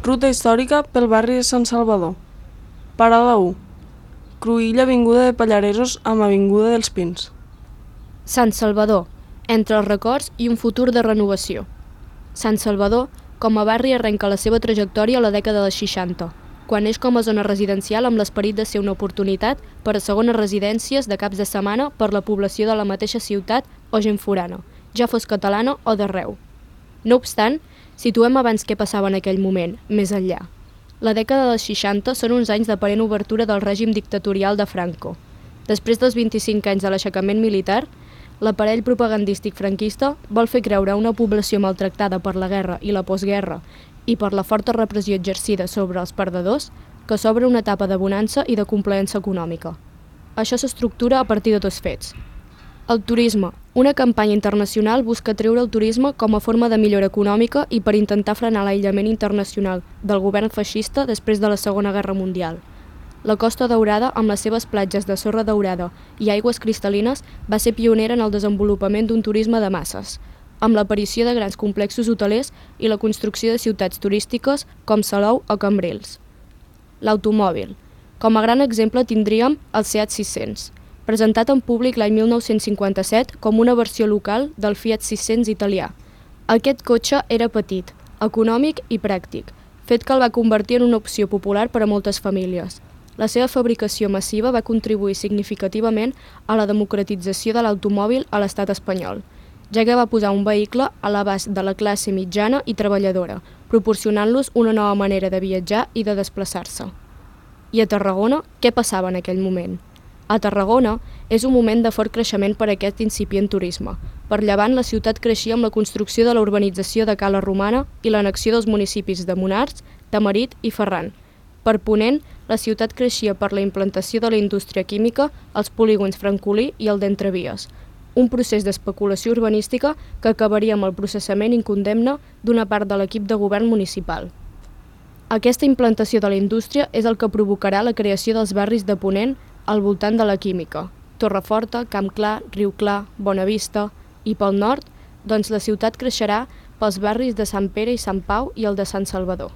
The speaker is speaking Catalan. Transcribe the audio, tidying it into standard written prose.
Ruta històrica pel barri de Sant Salvador. Parada 1. Cruïlla avinguda de Pallaresos amb avinguda dels Pins. Sant Salvador, entre els records i un futur de renovació. Sant Salvador, com a barri, arrenca la seva trajectòria a la dècada dels 60, quan neix com a zona residencial amb l'esperit de ser una oportunitat per a segones residències de caps de setmana per la població de la mateixa ciutat o gent forana, ja fos catalana o d'arreu. No obstant, situem abans què passava en aquell moment, més enllà. La dècada dels 60 són uns anys d'aparent obertura del règim dictatorial de Franco. Després dels 25 anys de l'aixecament militar, l'aparell propagandístic franquista vol fer creure a una població maltractada per la guerra i la postguerra i per la forta repressió exercida sobre els perdedors que s'obre una etapa de bonança i de complaença econòmica. Això s'estructura a partir de dos fets. El turisme. Una campanya internacional busca treure el turisme com a forma de millora econòmica i per intentar frenar l'aïllament internacional del govern feixista després de la Segona Guerra Mundial. La Costa Daurada, amb les seves platges de sorra daurada i aigües cristal·lines, va ser pionera en el desenvolupament d'un turisme de masses, amb l'aparició de grans complexos hotelers i la construcció de ciutats turístiques com Salou o Cambrils. L'automòbil. Com a gran exemple tindríem el Seat 600, presentat en públic l'any 1957 com una versió local del Fiat 600 italià. Aquest cotxe era petit, econòmic i pràctic, fet que el va convertir en una opció popular per a moltes famílies. La seva fabricació massiva va contribuir significativament a la democratització de l'automòbil a l'estat espanyol, ja que va posar un vehicle a l'abast de la classe mitjana i treballadora, proporcionant-los una nova manera de viatjar i de desplaçar-se. I a Tarragona, què passava en aquell moment? A Tarragona és un moment de fort creixement per a aquest incipient turisme. Per llevant, la ciutat creixia amb la construcció de la urbanització de Cala Romana i l'annexió dels municipis de Monars, Tamarit i Ferran. Per ponent, la ciutat creixia per la implantació de la indústria química, els polígons Francolí i el d'Entrevies, un procés d'especulació urbanística que acabaria amb el processament incondemne d'una part de l'equip de govern municipal. Aquesta implantació de la indústria és el que provocarà la creació dels barris de ponent al voltant de la química, Torreforta, Camp Clar, Riu Clar, Bonavista, i pel nord, doncs la ciutat creixerà pels barris de Sant Pere i Sant Pau i el de Sant Salvador.